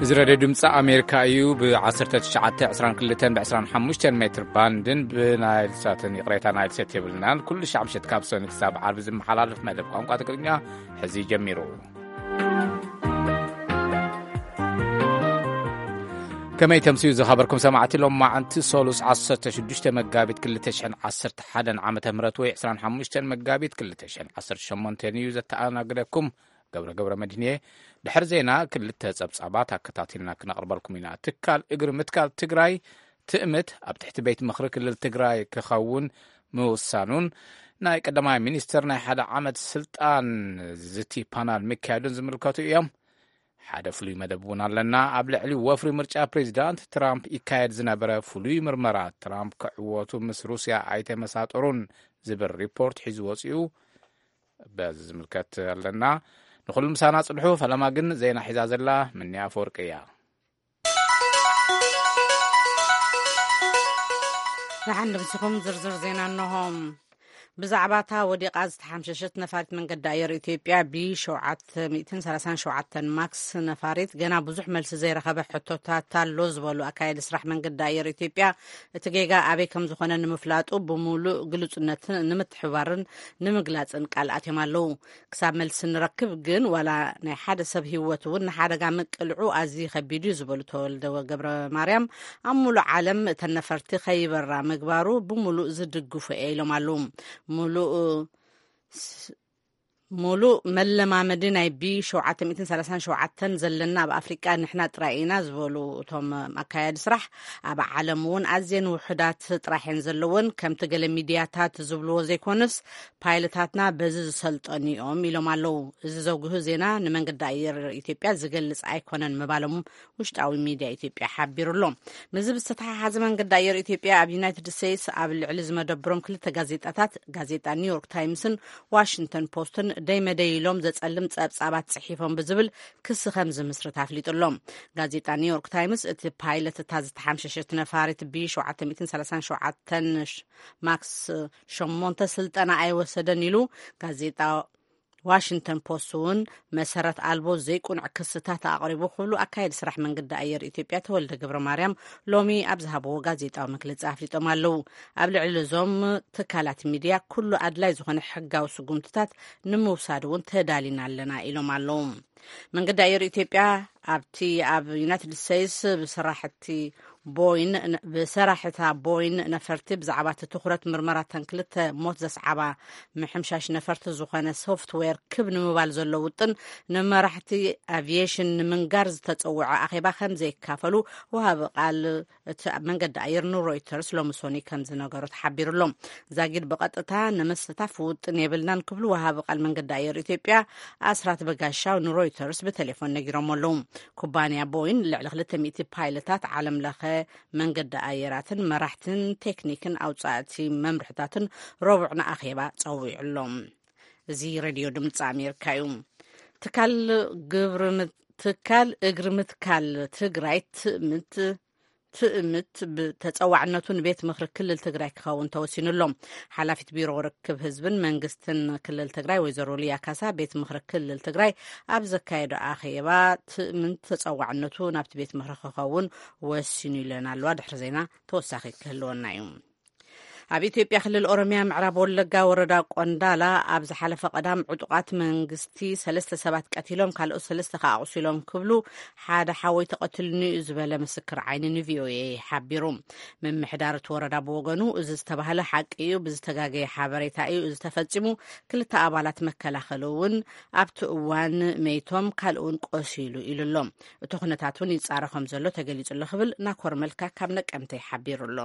እዚ ሬድዮ ድምፂ ኣሜሪካ እዩ። ብ1922 ብ25 ሜትር ባንድን ብናይል ሳትን፣ ይቕሬታ፣ ናይል ሴት የብልናን። ኩሉ ሻዕ ምሸት ካብ ሰኒ ክሳብ ዓርቢ ዝመሓላለፍ መደብ ቋንቋ ትግርኛ ሕዚ ጀሚሩ። ከመይ ተምስዩ ዝኸበርኩም ሰማዕቲ፣ ሎም መዓንቲ ሶሉስ 16 መጋቢት 2011 ዓመተ ምህረት ወይ 25 መጋቢት 2018 እዩ። ዘተኣናግደኩም ገብረ ገብረ መድህንየ። ድሕሪ ዜና ክልተ ጸብጻባት ኣከታቲልና ክነቕርበልኩም ኢና። ትካል እግሪ ምትካል ትግራይ ትእምት ኣብ ትሕቲ ቤት ምኽሪ ክልል ትግራይ ክኸውን ምውሳኑን ናይ ቀዳማይ ሚኒስትር ናይ ሓደ ዓመት ስልጣን ዝቲ ፓናል ምክያዱን ዝምልከቱ እዮም። ሓደ ፍሉይ መደብ እውን ኣለና። ኣብ ልዕሊ ወፍሪ ምርጫ ፕሬዚዳንት ትራምፕ ይካየድ ዝነበረ ፍሉይ ምርመራ፣ ትራምፕ ክዕወቱ ምስ ሩስያ ኣይተመሳጠሩን ዝብል ሪፖርት ሒዙ ወፂኡ። በዚ ዝምልከት ኣለና። ንኹሉ ምሳና ጽንሑ። ፈለማ ግን ዜና ሒዛ ዘላ ምንያ ኣፈወርቂ እያ። ንሓን ድምስኹም ዝርዝር ዜና እንሆ። ብዛዕባ እታ ወዲቓ ዝተሓምሸሸት ነፋሪት መንገዲ ኣየር ኢትዮጵያ ቢ737 ማክስ ነፋሪት ገና ብዙሕ መልሲ ዘይረኸበ ሕቶታት ኣሎ ዝበሉ ኣካየዲ ስራሕ መንገዲ ኣየር ኢትዮጵያ፣ እቲ ጌጋ ኣበይ ከም ዝኾነ ንምፍላጡ ብምሉእ ግሉጽነት ንምትሕባርን ንምግላጽን ቃል ኣትዮም ኣለዉ። ክሳብ መልሲ ንረክብ ግን ዋላ ናይ ሓደ ሰብ ህይወት እውን ንሓደጋ ምቅልዑ ኣዝዩ ከቢድ እዩ ዝበሉ ተወልደ ገብረ ማርያም፣ ኣብ ሙሉእ ዓለም እተን ነፈርቲ ከይበራ ምግባሩ ብምሉእ ዝድግፉ እየ ኢሎም ኣለዉ። ሙሉእ ስ- ሙሉእ መለማመዲ ናይ ቢ737 ዘለና ኣብ ኣፍሪቃ ንሕና ጥራይ ኢና ዝበሉ እቶም ኣካያዲ ስራሕ፣ ኣብ ዓለም እውን ኣዝየን ውሑዳት ጥራሕ እየን ዘለወን፣ ከምቲ ገለ ሚድያታት ዝብልዎ ዘይኮነስ ፓይለታትና በዚ ዝሰልጠኑ እዮም ኢሎም ኣለዉ። እዚ ዘጉህ ዜና ንመንገዲ ኣየር ኢትዮጵያ ዝገልጽ ኣይኮነን ምባሎም ውሽጣዊ ሚድያ ኢትዮጵያ ሓቢሩ ኣሎ። ምስዚ ብዝተተሓሓዘ መንገዲ ኣየር ኢትዮጵያ ኣብ ዩናይትድ ስቴትስ ኣብ ልዕሊ ዝመደብሮም ክልተ ጋዜጣታት፣ ጋዜጣ ኒውዮርክ ታይምስን ዋሽንግተን ፖስትን ደይ መደይ ኢሎም ዘጸልም ጸብጻባት ጽሒፎም ብዝብል ክሲ ከም ዝምስርት ኣፍሊጡ ኣሎ። ጋዜጣ ኒውዮርክ ታይምስ እቲ ፓይለት እታ ዝተሓምሸሸት ነፋሪት ቢ737 ማክስ ሸሞንተ ስልጠና ኣይወሰደን ኢሉ። ጋዜጣ ዋሽንግተን ፖስት እውን መሰረት ኣልቦ ዘይቁኑዕ ክስታት ኣቕሪቡ ክብሉ ኣካየዲ ስራሕ መንገዲ ኣየር ኢትዮጵያ ተወልደ ገብረ ማርያም ሎሚ ኣብ ዝሃብዎ ጋዜጣዊ መግለጺ ኣፍሊጦም ኣለዉ። ኣብ ልዕሊ እዞም ትካላት ሚድያ ኩሉ ኣድላይ ዝኾነ ሕጋዊ ስጉምትታት ንምውሳድ እውን ተዳሊና ኣለና ኢሎም ኣለዉ። መንገዲ ኣየር ኢትዮጵያ ኣብቲ ኣብ ዩናይትድ ስቴትስ ብሰራሕቲ ቦይን ብሰራሕታ ቦይን ነፈርቲ ብዛዕባ እቲ ትኹረት ምርመራተን ክልተ ሞት ዘስዓባ ምሕምሻሽ ነፈርቲ ዝኾነ ሶፍትዌር ክብ ንምባል ዘሎ ውጥን ንመራሕቲ ኣቪዬሽን ንምንጋር ዝተጸውዐ ኣኼባ ከም ዘይካፈሉ ወሃቢ ቃል እቲ መንገዲ ኣየር ንሮይተርስ ሎሚ ሶኒ ከም ዝነገሮ ተሓቢሩ ኣሎ። ዛጊድ ብቐጥታ ንምስታፍ ውጥን የብልናን ክብሉ ወሃቢ ቃል መንገዲ ኣየር ኢትዮጵያ ኣስራት በጋሻው ንሮይተርስ ብቴሌፎን ነጊሮም ኣለዉ። ኩባንያ ቦይን ልዕሊ 200 ፓይለታት ዓለም ለኸ መንገዲ ኣየራትን መራሕትን ቴክኒክን ኣውጻእቲ መምርሕታትን ረቡዕ ንኣኼባ ጸዊዑ ኣሎ። እዚ ሬድዮ ድምፂ ኣሜሪካ እዩ። ትካል ግብሪ ምት- ትካል እግሪ ምትካል ትግራይ ትእምት ትእምት ብተፀዋዕነቱ ንቤት ምኽሪ ክልል ትግራይ ክኸውን ተወሲኑ ኣሎ። ሓላፊት ቢሮ ርክብ ህዝብን መንግስትን ክልል ትግራይ ወይዘሮ ሊያ ካሳ ቤት ምኽሪ ክልል ትግራይ ኣብ ዘካየዶ ኣኼባ ትእምት ተፀዋዕነቱ ናብቲ ቤት ምኽሪ ክኸውን ወሲኑ ኢለን ኣለዋ። ድሕሪ ዜና ተወሳኺ ክህልወና እዩ። ኣብ ኢትዮጵያ ክልል ኦሮሚያ ምዕራብ ወለጋ ወረዳ ቆንዳላ ኣብ ዝሓለፈ ቀዳም ዕጡቓት መንግስቲ ሰለስተ ሰባት ቀቲሎም ካልኦት ሰለስተ ከኣ ኣቑሲሎም ክብሉ ሓደ ሓወይ ተቐትሉኒ እዩ ዝበለ ምስክር ዓይኒ ንቪኦኤ ሓቢሩ። ምምሕዳር እቲ ወረዳ ብወገኑ እዚ ዝተባህለ ሓቂ እዩ፣ ብዝተጋገየ ሓበሬታ እዩ እዚ ተፈጺሙ፣ ክልተ ኣባላት መከላኸሊ እውን ኣብቲ እዋን መይቶም ካልእ እውን ቆሲሉ ኢሉ ኣሎ። እቲ ኩነታት እውን ይጻረ ከም ዘሎ ተገሊጹ ኣሎ ክብል ናኮር መልካ ካብ ነቀምተይ ሓቢሩ ኣሎ።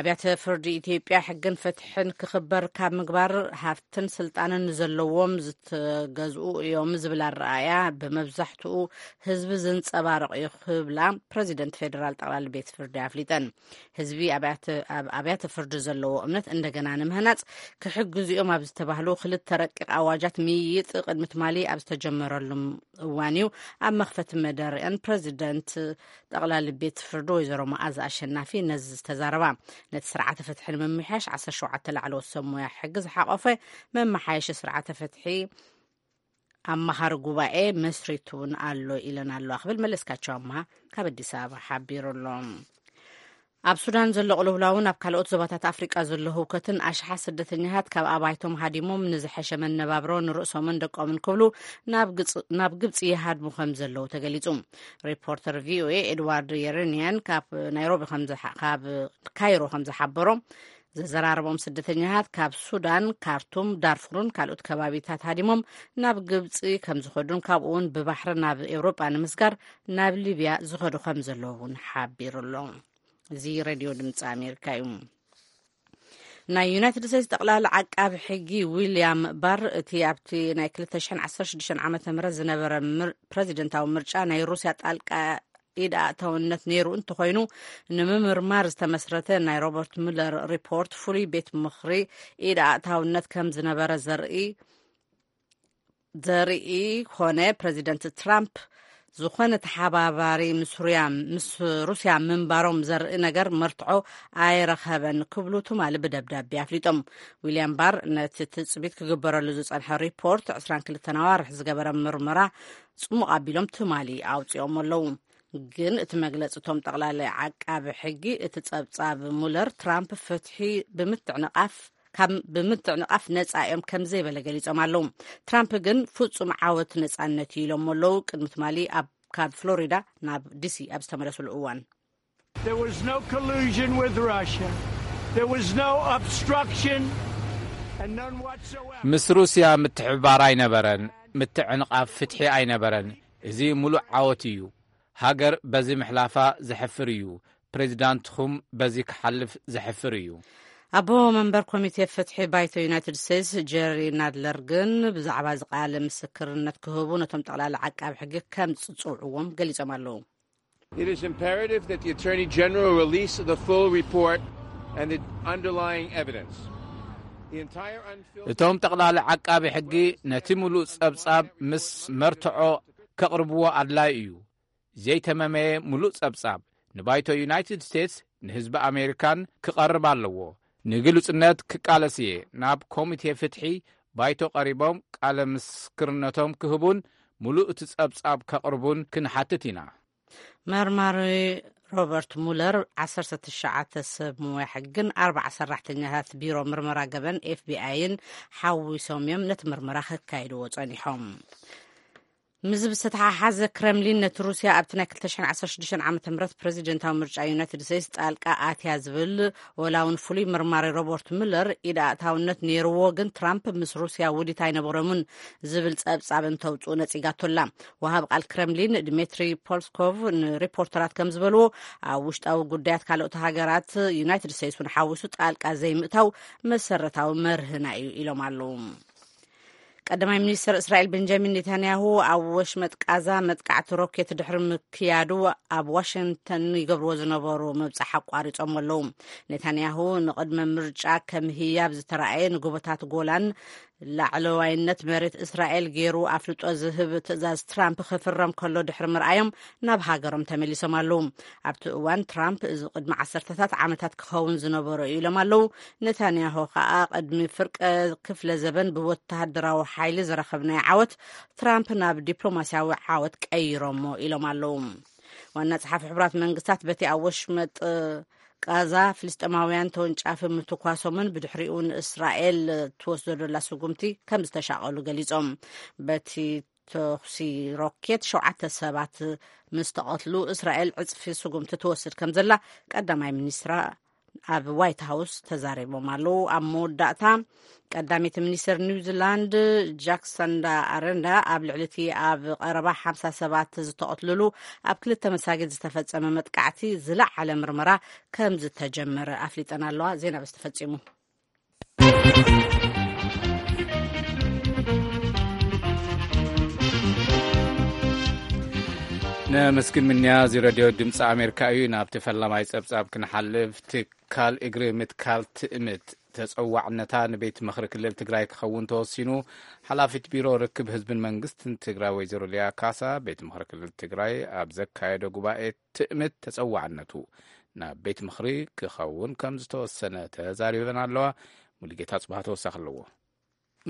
ኣብያተ ፍርዲ ኢትዮጵያ ሕግን ፍትሕን ክኽበር ካብ ምግባር ሃፍትን ስልጣንን ዘለዎም ዝተገዝኡ እዮም ዝብል ኣረኣእያ ብመብዛሕትኡ ህዝቢ ዝንጸባረቕ እዩ ክብላ ፕረዚደንት ፌዴራል ጠቕላሊ ቤት ፍርዲ ኣፍሊጠን። ህዝቢ ኣብያተ- ኣብ ኣብያተ ፍርዲ ዘለዎ እምነት እንደገና ንምህናጽ ክሕግዙ እዮም ኣብ ዝተባህሉ ክልተ ረቂቕ ኣዋጃት ምይይጥ ቅድሚ ትማሊ ኣብ ዝተጀመረሉ እዋን እዩ ኣብ መኽፈቲ መደረአን ፕረዚደንት ጠቕላሊ ቤት ፍርዲ ወይዘሮ መዓዛ ኣሸናፊ ነዚ ዝተዛረባ። ነቲ ስርዓተ ፍትሒ ንምምሕያሽ 17 ላዕለዎት ሰብ ሞያ ሕጊ ዝሓቖፈ መመሓየሺ ስርዓተ ፍትሒ ኣማኻሪ ጉባኤ መስሪቱ እውን ኣሎ ኢለን ኣለዋ ክብል መለስካቸው ኣምሃ ካብ ኣዲስ ኣበባ ሓቢሩ ኣሎ። ኣብ ሱዳን ዘሎ ቅልውላውን ኣብ ካልኦት ዞባታት ኣፍሪቃ ዘሎ ህውከትን ኣሽሓት ስደተኛታት ካብ ኣባይቶም ሃዲሞም ንዝሐሸ መነባብሮ ንርእሶምን ደቆምን ክብሉ ናብ ግጽ-፣ ናብ ግብጺ ይሃድሙ ከም ዘለዉ ተገሊጹ። ሪፖርተር ቪኦኤ ኤድዋርድ የረንያን ካብ ናይሮቢ ከም ዝሓ-፣ ካብ ካይሮ ከም ዝሓበሮ፣ ዘዘራረቦም ስደተኛታት ካብ ሱዳን፣ ካርቱም፣ ዳርፉርን ካልኦት ከባቢታት ሃዲሞም ናብ ግብጺ ከም ዝኸዱን ካብኡ እውን ብባሕሪ ናብ ኤውሮጳ ንምስጋር ናብ ሊብያ ዝኸዱ ከም ዘለዉ እውን ሓቢሩ ኣሎ። እዚ ሬድዮ ድምፂ ኣሜሪካ እዩ። ናይ ዩናይትድ ስቴትስ ጠቕላሊ ዓቃቢ ሕጊ ዊልያም ባር፣ እቲ ኣብቲ ናይ ክልተ ሽሕን ዓሰርተ ሽዱሽተን ዓመተ ምህረት ዝነበረ ምር-፣ ፕረዚደንታዊ ምርጫ ናይ ሩስያ ጣልቃ ኢድ ኣእታውነት ነይሩ እንተኾይኑ፣ ንምምርማር ዝተመስረተ ናይ ሮበርት ሙለር ሪፖርት ፍሉይ ቤት ምኽሪ ኢድ ኣእታውነት ከም ዝነበረ ዘርኢ ዘርኢ ኮነ፣ ፕረዚደንት ትራምፕ ዝኾነ ተሓባባሪ ምስ ሩያ-፣ ምስ ሩስያ ምንባሮም ዘርኢ ነገር መርትዖ ኣይረኸበን ክብሉ ትማሊ ብደብዳቤ ኣፍሊጦም። ዊልያም ባር ነቲ ትጽቢት ክግበረሉ ዝጸንሐ ሪፖርት ዕስራን ክልተን ኣዋርሕ ዝገበረ ምርመራ ጽሙቕ ኣቢሎም ትማሊ ኣውጺኦም ኣለዉ። ግን እቲ መግለጺ እቶም ጠቕላሊ ዓቃቢ ሕጊ፣ እቲ ጸብጻብ ሙለር ትራምፕ ፍትሒ ብምትዕንቓፍ ካብ ብምትዕንቓፍ ነጻ እዮም ከም ዘይበለ ገሊጾም ኣለዉ። ትራምፕ ግን ፍጹም ዓወት ነጻነት እዩ ኢሎም ኣለዉ። ቅድሚ ትማሊ ኣብ ካብ ፍሎሪዳ ናብ ዲሲ ኣብ ዝተመለሱሉ እዋን። There was no collusion with Russia. There was no obstruction and none whatsoever. ምስ ሩስያ ምትሕብባር ኣይነበረን፣ ምትዕንቓፍ ፍትሒ ኣይነበረን። እዚ ሙሉእ ዓወት እዩ። ሃገር በዚ ምሕላፋ ዘሕፍር እዩ። ፕሬዚዳንትኹም በዚ ክሓልፍ ዘሕፍር እዩ። ኣቦ መንበር ኮሚቴ ፍትሒ ባይቶ ዩናይትድ ስቴትስ ጀሪ ናድለር ግን ብዛዕባ እዚ ቃለ ምስክርነት ክህቡ ነቶም ጠቕላሊ ዓቃቢ ሕጊ ከም ዝጽውዕዎም ገሊጾም ኣለዉ። It is imperative that the Attorney General release the full report and the underlying evidence. The entire unfiltered እቶም ጠቕላሊ ዓቃቢ ሕጊ ነቲ ሙሉእ ጸብጻብ ምስ መርትዖ ከቕርብዎ ኣድላይ እዩ። ዘይተመመየ ሙሉእ ጸብጻብ ንባይቶ ዩናይትድ ስቴትስ ንህዝቢ ኣሜሪካን ክቐርብ ኣለዎ። ንግሉጽነት ክቃለስ እየ። ናብ ኮሚቴ ፍትሒ ባይቶ ቀሪቦም ቃለ ምስክርነቶም ክህቡን ሙሉእ እቲ ጸብጻብ ከቕርቡን ክንሓትት ኢና። መርማሪ ሮበርት ሙለር ዓሰርተ ትሽዓተ ሰብ ሞያ ሕግን ኣርባዓ ሰራሕተኛታት ቢሮ ምርመራ ገበን ኤፍቢኣይን ሓዊሶም እዮም ነቲ ምርመራ ከካይድዎ ጸኒሖም። ምዝብ ዝተተሓሓዘ ክረምሊን ነቲ ሩስያ ኣብቲ ናይ ክልተ ሽሕን ዓሰርተ ሽዱሽተን ዓመተ ምህረት ፕረዚደንታዊ ምርጫ ዩናይትድ ስቴትስ ጣልቃ ኣትያ ዝብል ወላ እውን ፍሉይ መርማሪ ሮበርት ሙለር ኢድ ኣእታውነት ነይርዎ፣ ግን ትራምፕ ምስ ሩስያ ውዲት ኣይነበሮምን ዝብል ጸብጻብ እንተውጽኡ ነጺጋቶ ኣላ። ወሃብ ቃል ክረምሊን ድሜትሪ ፖልስኮቭ ንሪፖርተራት ከም ዝበልዎ፣ ኣብ ውሽጣዊ ጉዳያት ካልኦት ሃገራት ዩናይትድ ስቴትስ እውን ሓዊሱ ጣልቃ ዘይምእታው መሰረታዊ መርህና እዩ ኢሎም ኣለዉ። ቀዳማይ ሚኒስትር እስራኤል ቤንጃሚን ኔታንያሁ ኣብ ወሽመጥ ቃዛ መጥቃዕቲ ሮኬት ድሕሪ ምክያዱ ኣብ ዋሽንግተን ይገብርዎ ዝነበሩ ምብጻሕ ኣቋሪጾም ኣለዉ። ኔታንያሁ ንቕድመ ምርጫ ከም ህያብ ዝተራእየ ንጎቦታት ጎላን ላዕለዋይነት መሬት እስራኤል ገይሩ ኣፍልጦ ዝህብ ትእዛዝ ትራምፕ ክፍረም ከሎ ድሕሪ ምርኣዮም ናብ ሃገሮም ተመሊሶም ኣለዉ። ኣብቲ እዋን ትራምፕ እዚ ቅድሚ ዓሰርተታት ዓመታት ክኸውን ዝነበሮ እዩ ኢሎም ኣለዉ። ኔታንያሁ ከኣ ቅድሚ ፍርቀ ክፍለ ዘበን ብወተሃደራዊ ሓይሊ ዝረኸብናዮ ዓወት ትራምፕ ናብ ዲፕሎማስያዊ ዓወት ቀይሮሞ ኢሎም ኣለዉ። ዋና ጸሓፊ ሕቡራት መንግስታት በቲ ኣብ ወሽመጥ ቃዛ ፍልስጤማውያን ተወንጫፊ ምትኳሶምን ብድሕሪኡ ንእስራኤል ትወስዶ ዘላ ስጉምቲ ከም ዝተሻቐሉ ገሊጾም። በቲ ተኹሲ ሮኬት ሸውዓተ ሰባት ምስ ተቐትሉ፣ እስራኤል ዕጽፊ ስጉምቲ ትወስድ ከም ዘላ ቀዳማይ ሚኒስትራ ኣብ ዋይት ሃውስ ተዛሪቦም ኣለዉ። ኣብ መወዳእታ ቀዳሚት ሚኒስትር ኒውዚላንድ ጃክሰንዳ ኣረንዳ ኣብ ልዕሊ እቲ ኣብ ቀረባ ሓምሳ ሰባት ዝተቐትልሉ ኣብ ክልተ መሳጊድ ዝተፈጸመ መጥቃዕቲ ዝለዓለ ምርመራ ከም ዝተጀመረ ኣፍሊጠን ኣለዋ። ዜና በዚ ተፈጺሙ። ነመስግን ምንያ። እዚ ረድዮ ድምፂ ኣሜሪካ እዩ። ናብቲ ፈላማይ ፀብፃብ ክንሓልፍ፣ ትካል እግሪ ምትካል ትእምት ተፀዋዕነታ ንቤት ምኽሪ ክልል ትግራይ ክኸውን ተወሲኑ። ሓላፊት ቢሮ ርክብ ህዝብን መንግስትን ትግራይ ወይዘሮ ሊያ ካሳ፣ ቤት ምኽሪ ክልል ትግራይ ኣብ ዘካየዶ ጉባኤ ትእምት ተፀዋዕነቱ ናብ ቤት ምኽሪ ክኸውን ከም ዝተወሰነ ተዛሪበን ኣለዋ። ሙሉጌታ ጽባህ ተወሳኺ ኣለዎ።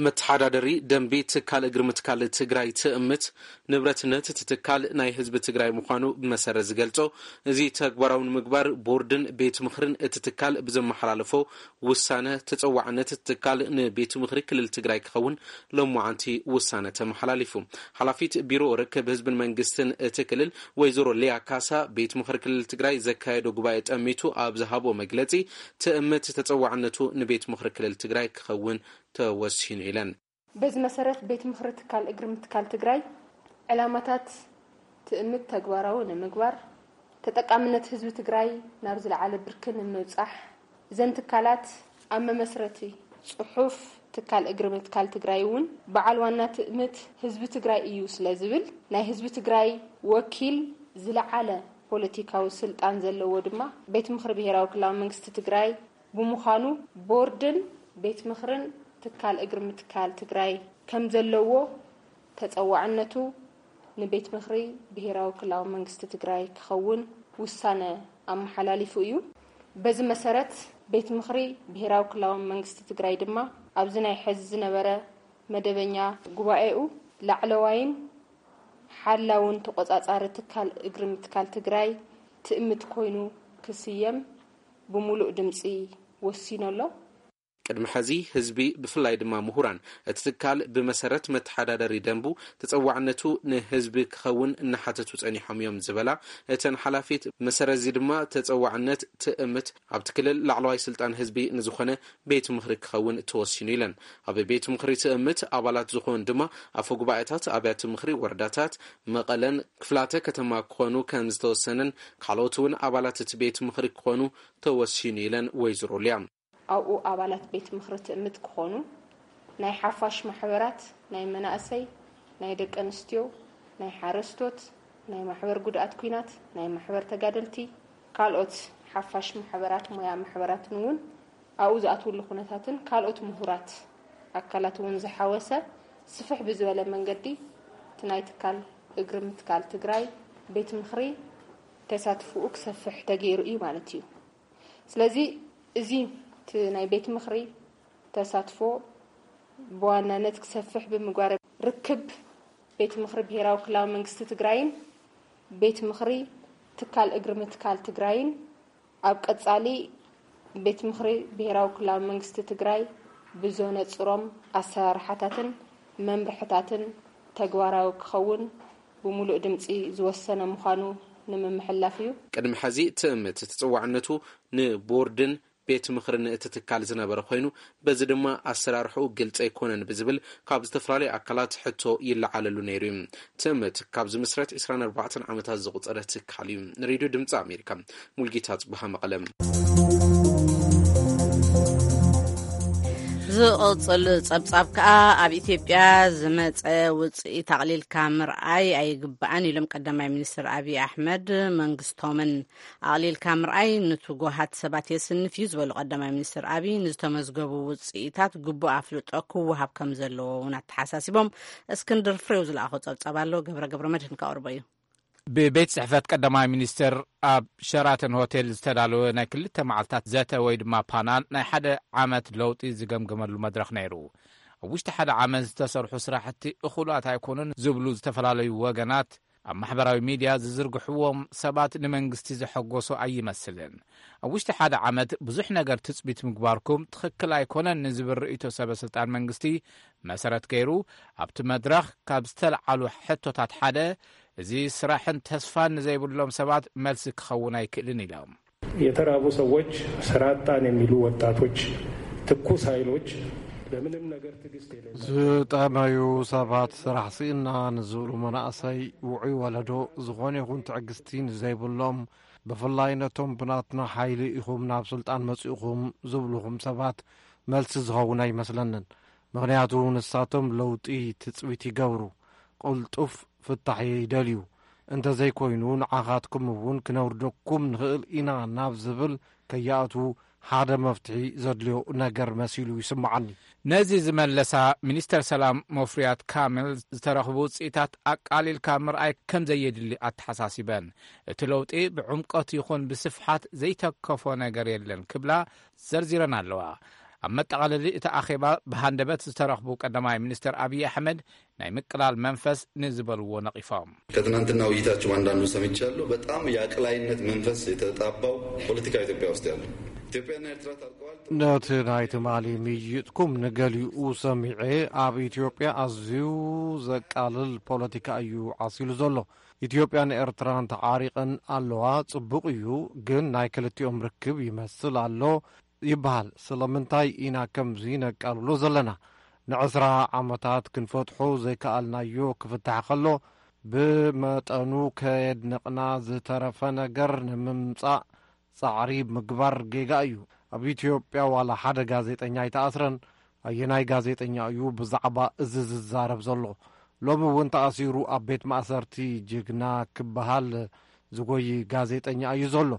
መተሓዳደሪ ደንቢ ትካል እግሪ ምትካል ትግራይ ትእምት፣ ንብረትነት እቲ ትካል ናይ ህዝቢ ትግራይ ምዃኑ ብመሰረት ዝገልጾ፣ እዚ ተግባራዊ ንምግባር ቦርድን ቤት ምኽርን እቲ ትካል ብዘመሓላለፎ ውሳነ፣ ተጸዋዕነት እቲ ትካል ንቤት ምኽሪ ክልል ትግራይ ክኸውን ሎማዓንቲ ውሳነ ተመሓላሊፉ። ሓላፊት ቢሮ ርክብ ህዝብን መንግስትን እቲ ክልል ወይዘሮ ሊያ ካሳ፣ ቤት ምኽሪ ክልል ትግራይ ዘካየዶ ጉባኤ ጠሚቱ ኣብ ዝሃቦ መግለጺ፣ ትእምት ተጸዋዕነቱ ንቤት ምኽሪ ክልል ትግራይ ክኸውን ተወሲኑ ኢለን። በዚ መሰረት ቤት ምኽሪ ትካል እግሪ ምትካል ትግራይ ዕላማታት ትእምት ተግባራዊ ንምግባር፣ ተጠቃምነት ህዝቢ ትግራይ ናብ ዝለዓለ ብርኪ ንምብጻሕ፣ እዘን ትካላት ኣብ መመስረቲ ጽሑፍ ትካል እግሪ ምትካል ትግራይ እውን በዓል ዋና ትእምት ህዝቢ ትግራይ እዩ ስለ ዝብል፣ ናይ ህዝቢ ትግራይ ወኪል ዝለዓለ ፖለቲካዊ ስልጣን ዘለዎ ድማ ቤት ምኽሪ ብሄራዊ ክልላዊ መንግስቲ ትግራይ ብምዃኑ፣ ቦርድን ቤት ምኽርን ትካል እግሪ ምትካል ትግራይ ከም ዘለዎ፣ ተጸዋዕነቱ ንቤት ምኽሪ ብሄራዊ ክልላዊ መንግስቲ ትግራይ ክኸውን ውሳነ ኣመሓላሊፉ እዩ። በዚ መሰረት፣ ቤት ምኽሪ ብሄራዊ ክልላዊ መንግስቲ ትግራይ ድማ ኣብዚ ናይ ሕዚ ዝነበረ መደበኛ ጉባኤኡ፣ ላዕለዋይን ሓላውን ተቖጻጻሪ ትካል እግሪ ምትካል ትግራይ ትእምት ኮይኑ ክስየም ብምሉእ ድምጺ ወሲኑ ኣሎ። ቅድሚ ሕዚ ህዝቢ፣ ብፍላይ ድማ ምሁራን፣ እቲ ትካል ብመሰረት መተሓዳደሪ ደንቡ ተጸዋዕነቱ ንህዝቢ ክኸውን እናሓተቱ ጸኒሖም እዮም ዝበላ እተን ሓላፊት፣ መሰረት እዚ ድማ ተጸዋዕነት ትእምት ኣብቲ ክልል ላዕለዋይ ስልጣን ህዝቢ ንዝኾነ ቤት ምኽሪ ክኸውን ተወሲኑ ኢለን። ኣብ ቤት ምኽሪ ትእምት ኣባላት ዝኾኑ ድማ ኣፈ ጉባኤታት ኣብያተ ምኽሪ ወረዳታት መቐለን ክፍላተ ከተማ ክኾኑ ከም ዝተወሰነን፣ ካልኦት እውን ኣባላት እቲ ቤት ምኽሪ ክኾኑ ተወሲኑ ኢለን ወይዘሮ ሊያ። ኣብኡ ኣባላት ቤት ምኽሪ ትእምት ክኾኑ፣ ናይ ሓፋሽ ማሕበራት፣ ናይ መናእሰይ፣ ናይ ደቂ ኣንስትዮ፣ ናይ ሓረስቶት፣ ናይ ማሕበር ጉድኣት ኲናት፣ ናይ ማሕበር ተጋደልቲ፣ ካልኦት ሓፋሽ ማሕበራት፣ ሞያ ማሕበራትን እውን ኣብኡ ዝኣትውሉ ኩነታትን ካልኦት ምሁራት ኣካላት እውን ዝሓወሰ ስፍሕ ብዝበለ መንገዲ እቲ ናይ ትካል እግሪ ምትካል ትግራይ ቤት ምኽሪ ተሳትፎኡ ክሰፍሕ ተገይሩ እዩ ማለት እዩ። ስለዚ እዚ እቲ ናይ ቤት ምኽሪ ተሳትፎ ብዋናነት ክሰፍሕ ብምግባር፣ ርክብ ቤት ምኽሪ ብሄራዊ ክልላዊ መንግስቲ ትግራይን ቤት ምኽሪ ትካል እግሪ ምትካል ትግራይን ኣብ ቀጻሊ ቤት ምኽሪ ብሄራዊ ክልላዊ መንግስቲ ትግራይ ብዘነጽሮም ኣሰራርሓታትን መምርሕታትን ተግባራዊ ክኸውን ብምሉእ ድምጺ ዝወሰነ ምዃኑ ንምምሕላፍ እዩ። ቅድሚ ሕዚ ትእምት ተጸዋዕነቱ ንቦርድን ቤት ምኽርን እቲ ትካል ዝነበረ ኮይኑ፣ በዚ ድማ ኣሰራርሕኡ ግልጺ ኣይኮነን ብዝብል ካብ ዝተፈላለዩ ኣካላት ሕቶ ይለዓለሉ ነይሩ እዩ። ትእምት ካብ ዝምስረት ዕስራን ኣርባዕተን ዓመታት ዘቑጸረ ትካል እዩ። ንሬድዮ ድምፂ ኣሜሪካ፣ ሙልጌታ ጽቡሃ፣ መቐለ። ዝቕጽል ጸብጻብ ከኣ፣ ኣብ ኢትዮጵያ ዝመጸ ውጽኢት ኣቕሊልካ ምርኣይ ኣይግባእን ኢሎም ቀዳማይ ሚኒስትር ኣብይ ኣሕመድ መንግስቶምን። ኣቕሊልካ ምርኣይ ንትጉሃት ሰባት የስንፍ እዩ ዝበሉ ቀዳማይ ሚኒስትር ኣብይ፣ ንዝተመዝገቡ ውጽኢታት ግቡእ ኣፍልጦ ክወሃብ ከም ዘለዎ እውን ኣተሓሳሲቦም። እስክንድር ፍሬው ዝለኣኾ ጸብጻብ ኣሎ፣ ገብረ ገብረ መድህን ከቕርቦ እዩ። ብቤት ጽሕፈት ቀዳማይ ሚኒስትር ኣብ ሸራተን ሆቴል ዝተዳለወ ናይ ክልተ መዓልታት ዘተ ወይ ድማ ፓናል ናይ ሓደ ዓመት ለውጢ ዝገምገመሉ መድረኽ ነይሩ። ኣብ ውሽጢ ሓደ ዓመት ዝተሰርሑ ስራሕቲ እኹላት ኣይኮኑን ዝብሉ ዝተፈላለዩ ወገናት፣ ኣብ ማሕበራዊ ሚድያ ዝዝርግሕዎም ሰባት ንመንግስቲ ዘሐጎሶ ኣይመስልን። ኣብ ውሽጢ ሓደ ዓመት ብዙሕ ነገር ትጽቢት ምግባርኩም ትኽክል ኣይኮነን ንዝብል ርእይቶ ሰበ ስልጣን መንግስቲ መሰረት ገይሩ፣ ኣብቲ መድረኽ ካብ ዝተለዓሉ ሕቶታት ሓደ፣ እዚ ስራሕን ተስፋን ንዘይብሎም ሰባት መልሲ ክኸውን ኣይክእልን ኢሎም። የተራቡ ሰዎች፣ ስራ አጣን የሚሉ ወጣቶች፣ ትኩስ ኃይሎች፣ ለምንም ነገር ትዕግስት የሌላቸው። ዝጠመዩ ሰባት፣ ስራሕ ስኢና ንዝብሉ መናእሰይ፣ ውዑይ ወለዶ፣ ዝኾነ ይኹን ትዕግስቲ ንዘይብሎም፣ ብፍላይ ነቶም ብናትና ሓይሊ ኢኹም ናብ ስልጣን መጺእኹም ዝብልኹም ሰባት መልሲ ዝኸውን ኣይመስለንን። ምኽንያቱ ንሳቶም ለውጢ ትጽቢት ይገብሩ፣ ቅልጡፍ ፍታሕ ይደልዩ። እንተዘይኮይኑ ንዓኻትኩም እውን ክነውርደኩም ንኽእል ኢና ናብ ዝብል ከይኣትዉ ሓደ መፍትሒ ዘድልዮ ነገር መሲሉ ይስምዓኒ። ነዚ ዝመለሳ ሚኒስተር ሰላም ሙፈሪያት ካሚል፣ ዝተረኽቡ ውጽኢታት ኣቃሊልካ ምርኣይ ከም ዘየድሊ ኣተሓሳሲበን፣ እቲ ለውጢ ብዕምቆት ይኹን ብስፍሓት ዘይተከፎ ነገር የለን ክብላ ዘርዚረን ኣለዋ። ኣብ መጠቓለሊ እቲ ኣኼባ ብሃንደበት ዝተረኽቡ ቀዳማይ ሚኒስትር ኣብይ ኣሕመድ ናይ ምቅላል መንፈስ ንዝበልዎ ነቒፎም። ከትናንትና ውይይታችሁ አንዳንዱ ሰምቻለሁ። በጣም የአቅላይነት መንፈስ የተጣባው ፖለቲካ ኢትዮጵያ ውስጥ ያለው ኢትዮጵያና ኤርትራ ታርቀዋል። ነቲ ናይ ትማሊ ምይይጥኩም ንገሊኡ ሰሚዐ። ኣብ ኢትዮጵያ ኣዝዩ ዘቃልል ፖለቲካ እዩ ዓሲሉ ዘሎ። ኢትዮጵያን ኤርትራን ተዓሪቐን ኣለዋ። ጽቡቕ እዩ፣ ግን ናይ ክልቲኦም ርክብ ይመስል ኣሎ ይበሃል። ስለምንታይ ኢና ከምዚ ነቃልሎ ዘለና? ንዕስራ ዓመታት ክንፈትሖ ዘይከኣልናዮ ክፍታሕ ከሎ፣ ብመጠኑ ከየድነቕና ዝተረፈ ነገር ንምምጻእ ጻዕሪ ምግባር ጌጋ እዩ። ኣብ ኢትዮጵያ ዋላ ሓደ ጋዜጠኛ ኣይተኣስረን። ኣየናይ ጋዜጠኛ እዩ ብዛዕባ እዚ ዝዛረብ ዘሎ? ሎሚ እውን ተኣሲሩ ኣብ ቤት ማእሰርቲ ጅግና ክበሃል ዝጎይ ጋዜጠኛ እዩ ዘሎ።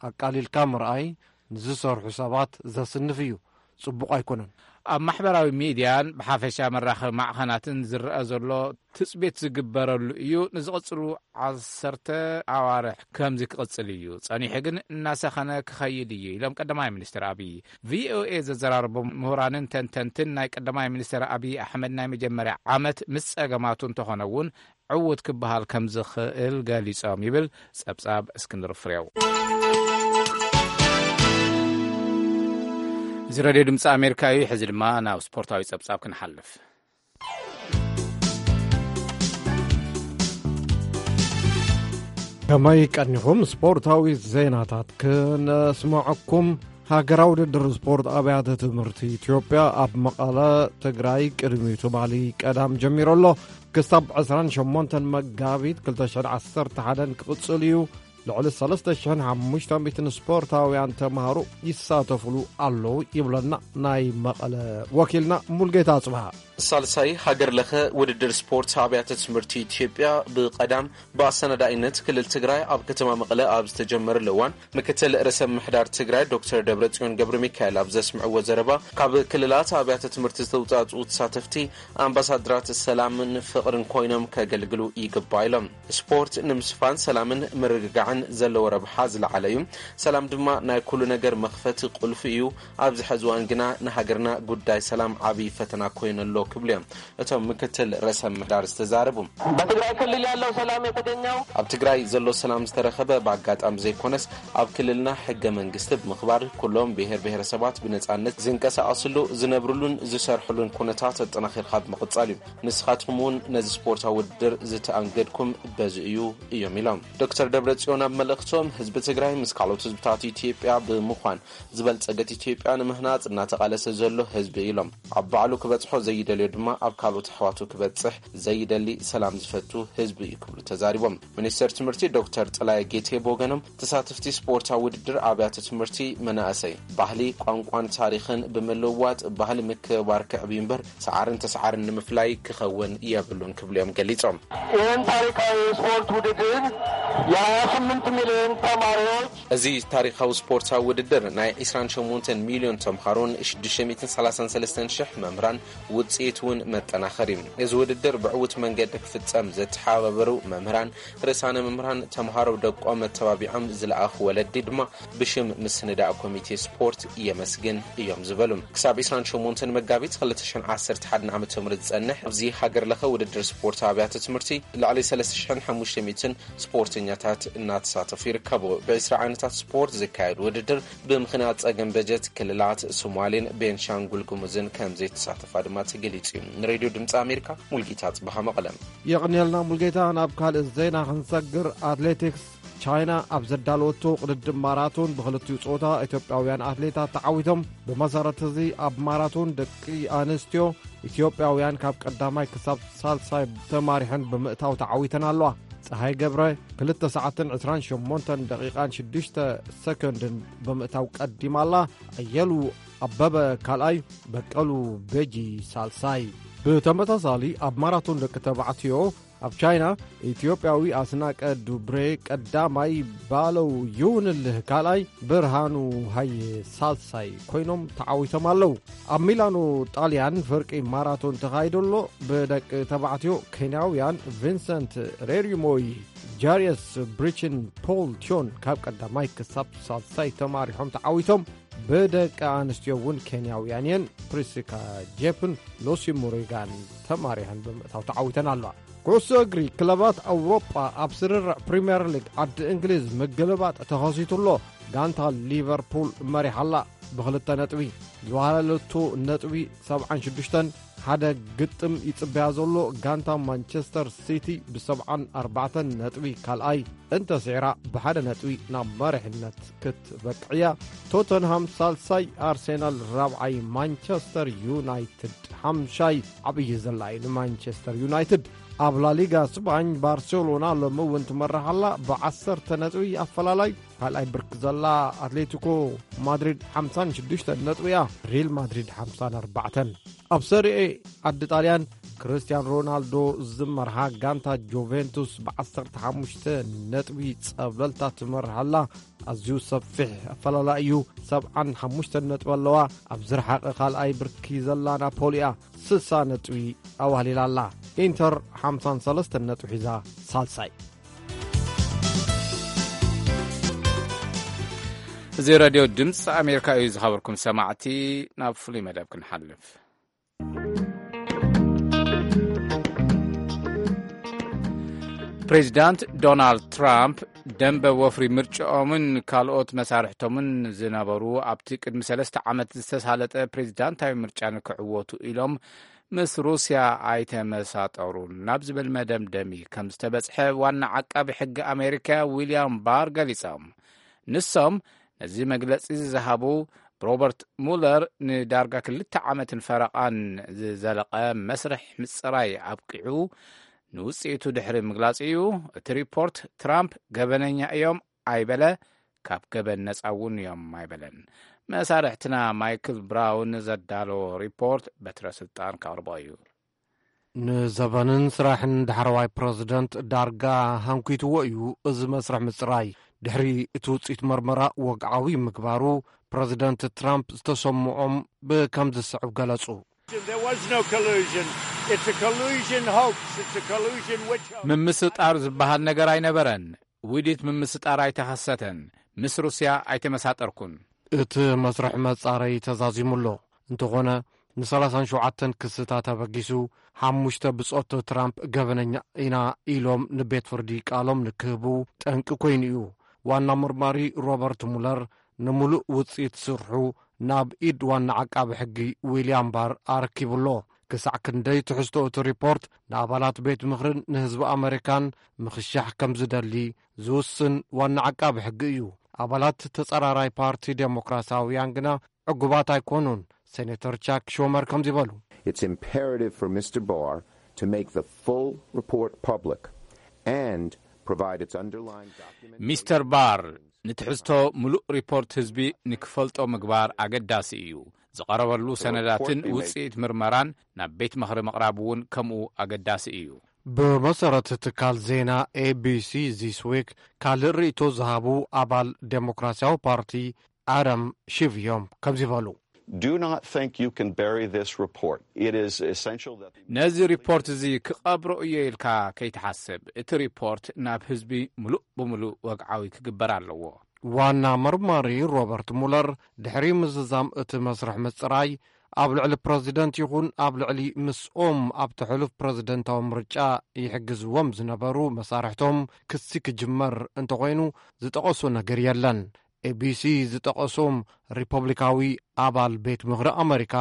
ኣቃሊልካ ምርኣይ ንዝሰርሑ ሰባት ዘስንፍ እዩ። ጽቡቕ ኣይኮነን። ኣብ ማሕበራዊ ሚድያን ብሓፈሻ መራኸቢ ማዕኸናትን ዝረአ ዘሎ ትጽቢት ዝግበረሉ እዩ። ንዝቕጽሉ ዓሰርተ ኣዋርሕ ከምዚ ክቕጽል እዩ። ጸኒሑ ግን እናሰኸነ ክኸይድ እዩ ኢሎም ቀዳማይ ሚኒስትር ኣብይ። ቪኦኤ ዘዘራረቦም ምሁራንን ተንተንትን ናይ ቀዳማይ ሚኒስትር ኣብይ ኣሕመድ ናይ መጀመርያ ዓመት ምስ ጸገማቱ እንተኾነ እውን ዕዉት ክበሃል ከም ዝኽእል ገሊጾም ይብል ጸብጻብ እስክንድር ፍሬው። እዚ ሬድዮ ድምፂ ኣሜሪካ እዩ። ሕዚ ድማ ናብ ስፖርታዊ ጸብጻብ ክንሓልፍ። ከመይ ቀኒኹም? ስፖርታዊ ዜናታት ክነስምዐኩም። ሃገራዊ ውድድር ስፖርት ኣብያተ ትምህርቲ ኢትዮጵያ ኣብ መቐለ ትግራይ ቅድሚ ትማሊ ቀዳም ጀሚሩ ኣሎ። ክሳብ ዕስራን ሸሞንተን መጋቢት ክልተ ሽሕን ዓሰርተ ሓደን ክቕጽል እዩ። ልዕሊ ሰለስተ ሽሕን ሓሙሽተ ሚእትን ስፖርታውያን ተምሃሮ ይሳተፍሉ ኣለዉ ይብለና ናይ መቐለ ወኪልና ሙልጌታ ኣጽብሃ። ሳልሳይ ሃገር ለኸ ውድድር ስፖርት ኣብያተ ትምህርቲ ኢትዮጵያ ብቐዳም ብኣሰናዳኢነት ክልል ትግራይ ኣብ ከተማ መቐለ ኣብ ዝተጀመረሉ እዋን፣ ምክትል ርእሰ ምምሕዳር ትግራይ ዶክተር ደብረጽዮን ገብረ ሚካኤል ኣብ ዘስምዕዎ ዘረባ፣ ካብ ክልላት ኣብያተ ትምህርቲ ዝተውጻእጽኡ ተሳተፍቲ ኣምባሳደራት ሰላምን ፍቕርን ኮይኖም ከገልግሉ ይግባእ ኢሎም። ስፖርት ንምስፋን ሰላምን ምርግጋዕን ዘለዎ ረብሓ ዝለዓለ እዩ። ሰላም ድማ ናይ ኩሉ ነገር መኽፈቲ ቁልፊ እዩ። ኣብዚ ሕዚ እዋን ግና ንሃገርና ጉዳይ ሰላም ዓብዪ ፈተና ኮይኑ ኣሎ ክብሉ እዮም እቶም ምክትል ርእሰ ምምሕዳር ዝተዛረቡ። በትግራይ ክልል ያለው ሰላም የተገኘው ኣብ ትግራይ ዘሎ ሰላም ዝተረኸበ ብኣጋጣሚ ዘይኮነስ፣ ኣብ ክልልና ሕገ መንግስቲ ብምኽባር፣ ኩሎም ብሄር ብሄረሰባት ብነፃነት ዝንቀሳቐስሉ፣ ዝነብርሉን ዝሰርሕሉን ኩነታት ኣጠናኺርካ ብምቕፃል እዩ። ንስኻትኩም እውን ነዚ ስፖርታዊ ውድድር ዝተኣንገድኩም በዚ እዩ፣ እዮም ኢሎም። ዶክተር ደብረጽዮን ኣብ መልእኽቶም፣ ህዝቢ ትግራይ ምስ ካልኦት ህዝብታት ኢትዮጵያ ብምዃን ዝበልጸገት ኢትዮጵያ ንምህናጽ እናተቓለሰ ዘሎ ህዝቢ ኢሎም። ኣብ ባዕሉ ክበጽሖ ዘይደልዮ ድማ ኣብ ካልኦት ኣሕዋቱ ክበጽሕ ዘይደሊ ሰላም ዝፈቱ ህዝቢ እዩ ክብሉ ተዛሪቦም። ሚኒስተር ትምህርቲ ዶክተር ጥላይ ጌቴ ብወገኖም፣ ተሳተፍቲ ስፖርታዊ ውድድር ኣብያተ ትምህርቲ መናእሰይ ባህሊ፣ ቋንቋን ታሪኽን ብምልውዋጥ ባህሊ ምክብባር ክዕብዩ እምበር ሰዓርን ተሰዓርን ንምፍላይ ክኸውን የብሉን ክብሉ እዮም ገሊጾም። ይህን ታሪካዊ የስፖርት ውድድር የሃያ ስምንት ሚሊዮን ተማሪዎች እዚ ታሪኻዊ ስፖርታዊ ውድድር ናይ ዕስራን ሸሞንተን ሚልዮን ተምሃሮን ሽዱሽተ ሚእትን ሰላሳን ሰለስተን ሽሕ መምህራን ውጽኢት እውን መጠናኸሪ እዩ። እዚ ውድድር ብዕዉት መንገዲ ክፍጸም ዘተሓባበሩ መምህራን፣ ርእሳነ መምህራን፣ ተምሃሮ ደቆም መተባቢዖም ዝለኣኹ ወለዲ ድማ ብሽም ምስንዳእ ኮሚቴ ስፖርት የመስግን እዮም ዝበሉ። ክሳብ ዕስራን ሸሞንተን መጋቢት ክልተ ሽሕን ዓሰርተ ሓደን ዓመተ ምህረት ዝጸንሕ ኣብዚ ሃገር ለኸ ውድድር ስፖርት ኣብያተ ትምህርቲ ልዕሊ ሰለስተ ሽሕን ሓሙሽተ ሚእትን ስፖርተኛታት እናተሳተፉ ይርከቡ። ብዕስራ ዓይነታት ስፖርት ዝካየድ ውድድር ብምኽንያት ጸገም በጀት ክልላት ሶማሌን ቤንሻንጉል ጉሙዝን ከም ዘይተሳተፋ ድማ ተገሊጹ እዩ። ንሬድዮ ድምፂ ኣሜሪካ ሙልጌታ ጽባሃ መቐለም። የቕንየልና ሙልጌታ። ናብ ካልእ ዜና ክንሰግር፣ ኣትሌቲክስ ቻይና ኣብ ዘዳለወቶ ቅድድም ማራቶን ብክልቲኡ ጾታ ኢትዮጵያውያን ኣትሌታት ተዓዊቶም። ብመሰረት እዚ ኣብ ማራቶን ደቂ ኣንስትዮ ኢትዮጵያውያን ካብ ቀዳማይ ክሳብ ሳልሳይ ተማሪሐን ብምእታው ተዓዊተን ኣለዋ። ፀሃይ ገብረ ክልተ ሰዓትን ዕስራን ሸሞንተን ደቂቓን ሽዱሽተ ሰኮንድን ብምእታው ቀዲማ ኣላ። ኣየሉ ኣበበ ካልኣይ፣ በቀሉ ቤጂ ሳልሳይ። ብተመሳሳሊ ኣብ ማራቶን ደቂ ተባዕትዮ ኣብ ቻይና ኢትዮጵያዊ ኣስናቀ ዱብሬ ቀዳማይ፣ ባለው ይሁንልህ ካልኣይ፣ ብርሃኑ ሃየ ሳልሳይ ኮይኖም ተዓዊቶም ኣለዉ። ኣብ ሚላኖ ጣልያን ፍርቂ ማራቶን ተኻይዶ ኣሎ። ብደቂ ተባዕትዮ ኬንያውያን ቪንሰንት ሬሪሞይ፣ ጃሪየስ ብሪችን፣ ፖል ቲዮን ካብ ቀዳማይ ክሳብ ሳልሳይ ተማሪሖም ተዓዊቶም። ብደቂ ኣንስትዮ እውን ኬንያውያን እየን። ፕሪሲካ ጄፕን ሎሲ ሞሪጋን ተማሪኸን ብምእታው ተዓዊተን ኣለዋ። ኩዕሶ እግሪ ክለባት ኣውሮጳ ኣብ ስርርዕ ፕሪምየር ሊግ ዓዲ እንግሊዝ ምግልባጥ ተኸሲቱ ኣሎ። ጋንታ ሊቨርፑል መሪሓ ኣላ ብኽልተ ነጥቢ። ዝወሃለለቶ ነጥቢ ሰብዓን ሽዱሽተን፣ ሓደ ግጥም ይጽበያ ዘሎ ጋንታ ማንቸስተር ሲቲ ብሰብዓን ኣርባዕተን ነጥቢ ካልኣይ እንተስዒራ፣ ብሓደ ነጥቢ ናብ መሪሕነት ክትበቅዕ እያ። ቶተንሃም ሳልሳይ፣ ኣርሴናል ራብዓይ፣ ማንቸስተር ዩናይትድ ሓምሻይ። ዓብዪ ዘላ እዩ ንማንቸስተር ዩናይትድ። ኣብ ላሊጋ ስፓኝ ባርሴሎና ሎሚ እውን ትመርሕ ኣላ ብዓሰርተ ነጥቢ ኣፈላላይ። ካልኣይ ብርክ ዘላ ኣትሌቲኮ ማድሪድ ሓምሳን ሽዱሽተን ነጥቢ እያ። ሪል ማድሪድ ሓምሳን ኣርባዕተን። ኣብ ሰሪኤ ዓዲ ጣልያን ክርስቲያን ሮናልዶ ዝመርሓ ጋንታ ጁቬንቱስ ብዓሰርተ ሓሙሽተ ነጥቢ ጸብለልታ ትመርሕ ኣላ። ኣዝዩ ሰፊሕ ኣፈላላይ እዩ። ሰብዓን ሓሙሽተን ነጥቢ ኣለዋ። ኣብ ዝረሓቐ ካልኣይ ብርኪ ዘላ ናፖሊ እያ። ስሳ ነጥቢ ኣዋህሊላ ኣላ። ኢንተር ሓምሳን ሰለስተን ነጥቢ ሒዛ ሳልሳይ። እዚ ሬድዮ ድምፂ ኣሜሪካ እዩ። ዝኸበርኩም ሰማዕቲ፣ ናብ ፍሉይ መደብ ክንሓልፍ። ፕሬዚዳንት ዶናልድ ትራምፕ ደንበ ወፍሪ ምርጫኦምን ካልኦት መሳርሕቶምን ዝነበሩ ኣብቲ ቅድሚ ሰለስተ ዓመት ዝተሳለጠ ፕሬዚዳንታዊ ምርጫ ንክዕወቱ ኢሎም ምስ ሩስያ ኣይተመሳጠሩን ናብ ዝብል መደምደሚ ከም ዝተበጽሐ ዋና ዓቃቢ ሕጊ ኣሜሪካ ዊልያም ባር ገሊጾም። ንሶም ነዚ መግለጺ ዝሃቡ ሮበርት ሙለር ንዳርጋ ክልተ ዓመትን ፈረቓን ዝዘለቐ መስርሕ ምጽራይ ኣብቂዑ ንውጽኢቱ ድሕሪ ምግላጹ እዩ። እቲ ሪፖርት ትራምፕ ገበነኛ እዮም ኣይበለ፣ ካብ ገበን ነጻ እውን እዮም ኣይበለን። መሳርሕትና ማይክል ብራውን ዘዳለዎ ሪፖርት በትረ ስልጣን ከቕርቦ እዩ። ንዘበንን ስራሕን ዳሕረዋይ ፕረዚደንት ዳርጋ ሃንኲትዎ እዩ። እዚ መስርሕ ምጽራይ ድሕሪ እቲ ውጽኢት መርመራ ወግዓዊ ምግባሩ ፕረዚደንት ትራምፕ ዝተሰምዖም ብከም ዝስዕብ ገለጹ። There was no collusion. It's a collusion hoax. It's a collusion witch hunt. ምምስጣር ዝበሃል ነገር ኣይነበረን። ውዲት ምምስጣር ኣይተኸሰተን። ምስ ሩስያ ኣይተመሳጠርኩን። እቲ መስርሕ መጻረይ ተዛዚሙ ኣሎ። እንተኾነ ንሰላሳን ሸውዓተን ክስታት ኣበጊሱ ሓሙሽተ ብጾት ትራምፕ ገበነኛ ኢና ኢሎም ንቤት ፍርዲ ቃሎም ንክህቡ ጠንቂ ኮይኑ እዩ። ዋና መርማሪ ሮበርት ሙለር ንምሉእ ውጽኢት ስርሑ ናብ ኢድ ዋና ዓቃቢ ሕጊ ዊልያም ባር ኣረኪቡ ኣሎ። ክሳዕ ክንደይ ትሕዝቶ እቲ ሪፖርት ንኣባላት ቤት ምኽርን ንህዝቢ ኣመሪካን ምኽሻሕ ከም ዝደሊ ዝውስን ዋና ዓቃቢ ሕጊ እዩ። ኣባላት ተጸራራይ ፓርቲ ዴሞክራሲያውያን ግና ዕጉባት ኣይኮኑን። ሴኔተር ቻክ ሹመር ከምዚ በሉ። It's imperative for Mister Barr to make the full report public and provide its underlying document. ሚስተር ባር ንትሕዝቶ ምሉእ ሪፖርት ህዝቢ ንክፈልጦ ምግባር ኣገዳሲ እዩ። ዝቐረበሉ ሰነዳትን ውፅኢት ምርመራን ናብ ቤት ምኽሪ ምቕራብ እውን ከምኡ ኣገዳሲ እዩ። ብመሰረት ትካል ዜና ኤቢሲ ዚስ ዊክ ካልእ ርእይቶ ዝሃቡ ኣባል ዴሞክራሲያዊ ፓርቲ ኣረም ሺቭ እዮም ከምዚ በሉ። Do not think you can bury this report. It is essential that the ነዚ ሪፖርት እዚ ክቐብሮ እየ ኢልካ ከይትሓስብ። እቲ ሪፖርት ናብ ህዝቢ ምሉእ ብምሉእ ወግዓዊ ክግበር ኣለዎ። ዋና መርማሪ ሮበርት ሙለር ድሕሪ ምዝዛም እቲ መስርሕ ምጽራይ ኣብ ልዕሊ ፕረዚደንት ይኹን ኣብ ልዕሊ ምስኦም ኣብቲ ሕሉፍ ፕረዚደንታዊ ምርጫ ይሕግዝዎም ዝነበሩ መሳርሕቶም ክሲ ክጅመር እንተኾይኑ ዝጠቐሶ ነገር የለን። ኤቢሲ ዝጠቐሶም ሪፐብሊካዊ ኣባል ቤት ምኽሪ ኣመሪካ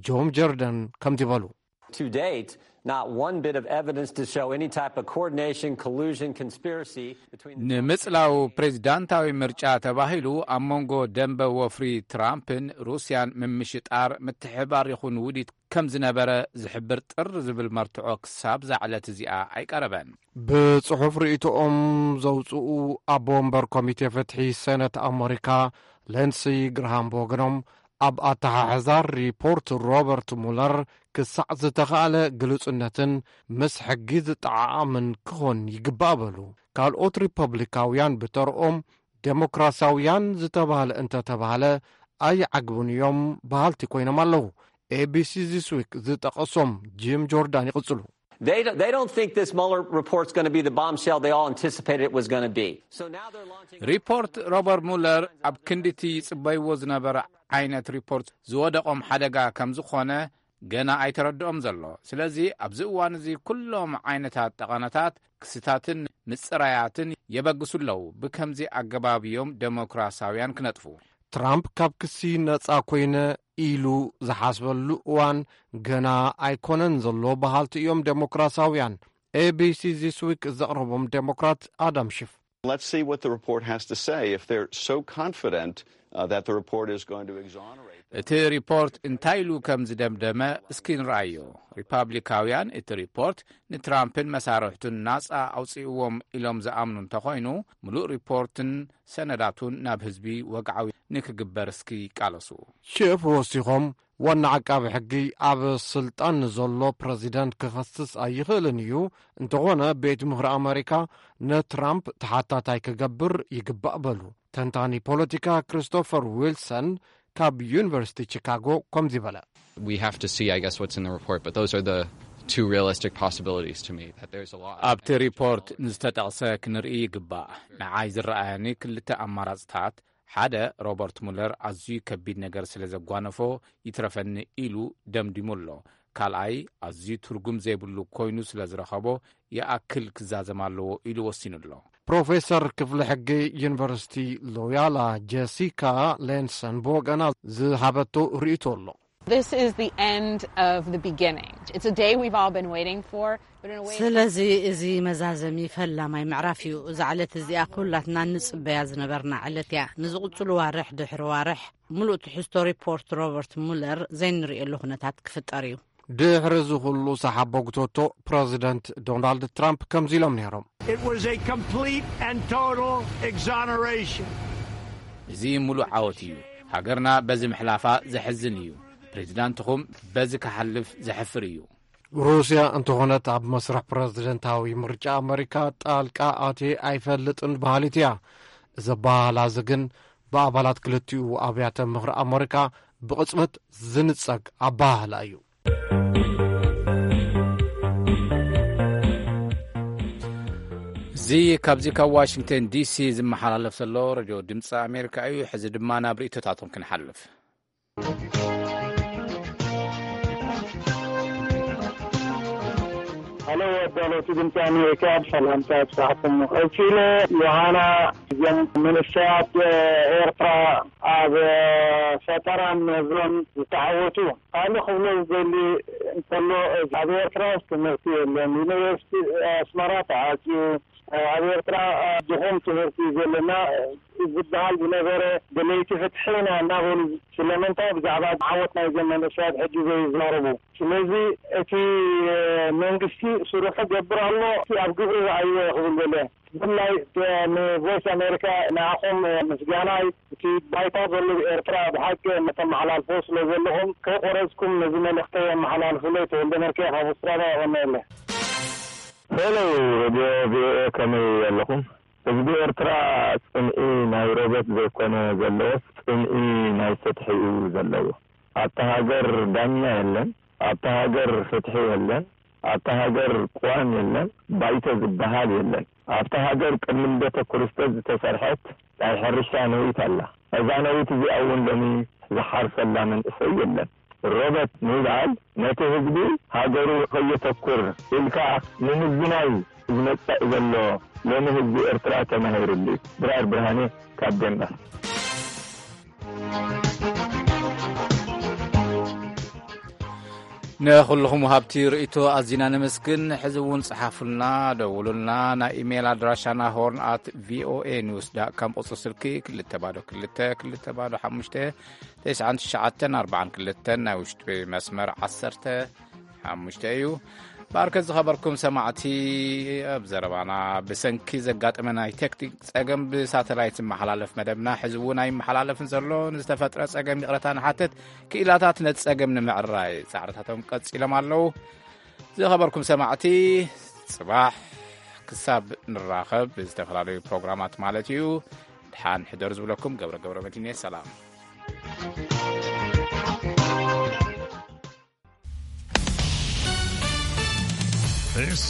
ጆም ጀርደን ከምዚ በሉ። To date, not one bit of evidence to show any type of coordination, collusion, conspiracy between ንምጽላው ፕሬዚዳንታዊ ምርጫ ተባሂሉ ኣብ መንጎ ደንበ ወፍሪ ትራምፕን ሩስያን ምምሽጣር፣ ምትሕባር ይኹን ውዲት ከም ዝነበረ ዝሕብር ጥር ዝብል መርትዖ ክሳብ ዛዕለት እዚኣ ኣይቀረበን። ብጽሑፍ ርእይቶኦም ዘውጽኡ ኣቦ ወንበር ኮሚቴ ፍትሒ ሴነት ኣመሪካ ሌንሲ ግርሃም ብወገኖም ኣብ ኣተሓሕዛ ሪፖርት ሮበርት ሙለር ክሳዕ ዝተኻእለ ግሉጽነትን ምስ ሕጊ ዝጠዓዓምን ክኾን ይግባእ በሉ። ካልኦት ሪፐብሊካውያን ብተርኦም ዴሞክራሲያውያን ዝተባህለ እንተተባህለ ኣይዓግቡን እዮም በሃልቲ ኮይኖም ኣለዉ። ኤቢሲ ዚስ ዊክ ዝጠቐሶም ጂም ጆርዳን ይቕጽሉ። They, don't- they don't think this Mueller report's going to be the bombshell they all anticipated it was going to be. So now they're launching. ሪፖርት ሮበርት ሙለር ኣብ ክንድቲ ይጽበይዎ ዝነበረ ዓይነት ሪፖርት ዝወደቖም ሓደጋ ከም ዝኾነ ገና ኣይተረድኦም ዘሎ። ስለዚ ኣብዚ እዋን እዚ ኩሎም ዓይነታት ጠቐነታት፣ ክስታትን ምጽራያትን የበግሱ ኣለዉ። ብከምዚ ኣገባብ እዮም ደሞክራሲያውያን ክነጥፉ። ትራምፕ ካብ ክሲ ነጻ ኮይነ ኢሉ ዝሓስበሉ እዋን ገና ኣይኮነን ዘሎ በሃልቲ እዮም ደሞክራሲያውያን። ኤቢሲ ዚስ ዊክ ዘቕረቦም ደሞክራት ኣዳም ሽፍ። Let's see what the report has to say. If they're so confident uh, that the report is going to exonerate. እቲ ሪፖርት እንታይ ኢሉ ከም ዝደምደመ እስኪ ንርኣዮ። ሪፓብሊካውያን እቲ ሪፖርት ንትራምፕን መሳርሕቱን ናጻ ኣውጽእዎም ኢሎም ዝኣምኑ እንተኾይኑ፣ ምሉእ ሪፖርትን ሰነዳቱን ናብ ህዝቢ ወግዓዊ ንክግበር እስኪ ይቃለሱ። ሽፍ ወሲኾም፣ ዋና ዓቃቢ ሕጊ ኣብ ስልጣን ንዘሎ ፕረዚደንት ክኸስስ ኣይኽእልን እዩ። እንተኾነ ቤት ምኽሪ ኣመሪካ ንትራምፕ ተሓታታይ ክገብር ይግባእ በሉ። ተንታኒ ፖለቲካ ክሪስቶፈር ዊልሰን ካብ ዩኒቨርሲቲ ቺካጎ ከምዚ በለ። We have to see, I guess, what's in the report, but those are the two realistic possibilities to me, that there's a lot. ኣብቲ ሪፖርት ንዝተጠቕሰ ክንርኢ ይግባእ። ንዓይ ዝረኣያኒ ክልተ ኣማራጽታት፣ ሓደ፣ ሮበርት ሙለር ኣዝዩ ከቢድ ነገር ስለ ዘጓነፎ ይትረፈኒ ኢሉ ደምዲሙ ኣሎ። ካልኣይ፣ ኣዝዩ ትርጉም ዘይብሉ ኮይኑ ስለ ዝረኸቦ ይኣክል ክዛዘም ኣለዎ ኢሉ ወሲኑ ኣሎ። ፕሮፌሰር ክፍሊ ሕጊ ዩኒቨርሲቲ ሎያላ ጀሲካ ሌንሰን ብወገና ዝሃበቶ ርእይቶ ኣሎ። This is the end of the beginning. It's a day we've all been waiting for, but in a way. ስለዚ እዚ መዛዘሚ ፈላማይ ምዕራፍ እዩ። እዛ ዕለት እዚኣ ኩላትና ንጽበያ ዝነበርና ዕለት እያ። ንዝቕጽሉ ዋርሕ ድሕሪ ዋርሕ ምሉእ ትሕዝቶ ሪፖርት ሮበርት ሙለር ዘይንርእየሉ ኩነታት ክፍጠር እዩ። ድሕሪ እዚ ኩሉ ሰሓቦ ግቶቶ ፕረዚደንት ዶናልድ ትራምፕ ከምዚ ኢሎም ነይሮም። It was a complete and total exoneration. እዚ ሙሉእ ዓወት እዩ። ሃገርና በዚ ምሕላፋ ዘሕዝን እዩ። ፕሬዚዳንትኹም በዚ ክሓልፍ ዘሕፍር እዩ። ሩስያ እንተኾነት ኣብ መስርሕ ፕረዚደንታዊ ምርጫ ኣመሪካ ጣልቃ ኣትየ ኣይፈልጥን በሃሊት እያ። እዚ ኣበሃህላ እዚ ግን ብኣባላት ክልቲኡ ኣብያተ ምኽሪ ኣመሪካ ብቕጽበት ዝንጸግ ኣበሃህላ እዩ። እዚ ካብዚ ካብ ዋሽንግተን ዲሲ ዝመሓላለፍ ዘሎ ሬድዮ ድምፂ ኣሜሪካ እዩ። ሕዚ ድማ ናብ ርእይቶታቶም ክንሓልፍ። ሃሎ ኣዳለውቲ ድምፂ ኣሜሪካ፣ ሰላምታ ይብፃሕኩም። ቀፂለ ዮሃና እዞም መንእሰያት ኤርትራ ኣብ ፈጠራን ምህዞን ዝተዓወቱ። ካልእ ክብሎ ዝደሊ እንተሎ፣ ኣብ ኤርትራ ትምህርቲ የለን። ዩኒቨርሲቲ ኣስመራ ተዓፅዩ። ኣብ ኤርትራ ድኹም ትምህርቲ እዩ ዘለና ዝበሃል ዝነበረ፣ ደለይቲ ፍትሒ ኢና እናበሉ ስለምንታይ ብዛዕባ ዓወት ናይዞም መንእሰያት ሕጂ ዘይዛረቡ? ስለዚ እቲ መንግስቲ ስርሑ ገብር ኣሎ፣ እቲ ኣብ ግብሪ ረኣይዎ ክብል ደለ። ብፍላይ ንቮይስ ኣሜሪካ ንዓኹም ምስጋናይ፣ እቲ ባይታ ዘሎ ኤርትራ ብሓቂ እተመሓላልፎ ስለ ዘለኹም ከይቆረጽኩም ነዚ መልእኽተይ ኣመሓላልፉለይ። ተወልደ መርኬ ካብ ኣውስትራልያ የቐንየለይ። ሄሎ ሬድዮ ቪኦኤ፣ ከመይ ኣለኹም? ህዝቢ ኤርትራ ጽምኢ ናይ ሮበት ዘይኮነ ዘለዎስ፣ ጽምኢ ናይ ፍትሒ እዩ ዘለዎ። ኣብታ ሃገር ዳኛ የለን፣ ኣብታ ሃገር ፍትሒ የለን፣ ኣብታ ሃገር ቅዋም የለን፣ ባይቶ ዝበሃል የለን። ኣብታ ሃገር ቅድሚ ልደተ ክርስቶስ ዝተሰርሐት ናይ ሕርሻ ነዊት ኣላ። እዛ ነዊት እዚኣ እውን ሎሚ ዝሓርሰላ መንእሰይ የለን። ሮበት ምባል ነቲ ህዝቢ ሃገሩ ከየተኩር ኢልካ ንምዝናይ ዝመጽእ ዘሎ ሎሚ ህዝቢ ኤርትራ ተማሂሩሉ እዩ። ድራር ብርሃኔ ካብ ዴንማርክ። ንኹልኹም ወሃብቲ ርእይቶ ኣዚና ነመስግን። ሕዚ እውን ጸሓፉልና፣ ደውሉልና። ናይ ኢሜይል ኣድራሻና ሆርን ኣት ቪኦኤ ኒውስ ዳት ካም፣ ቁጽሪ ስልኪ ክልተ ባዶ ክልተ ክልተ ባዶ ሓሙሽተ ተስዓን ትሽዓተን ኣርባዓን ክልተን፣ ናይ ውሽጢ መስመር ዓሰርተ ሓሙሽተ እዩ። ባርከት ዝኸበርኩም ሰማዕቲ፣ ኣብ ዘረባና ብሰንኪ ዘጋጠመ ናይ ቴክኒክ ጸገም ብሳተላይት ዝመሓላለፍ መደብና ሕዚ እውን ኣይመሓላለፍን ዘሎ። ንዝተፈጥረ ጸገም ይቕረታ ንሓትት። ክኢላታት ነቲ ጸገም ንምዕራይ ጻዕርታቶም ቀጺሎም ኣለዉ። ዝኸበርኩም ሰማዕቲ፣ ጽባሕ ክሳብ ንራኸብ ብዝተፈላለዩ ፕሮግራማት ማለት እዩ፣ ድሓን ሕደሩ ዝብለኩም ገብረ ገብረ መድህን እየ። ሰላም። This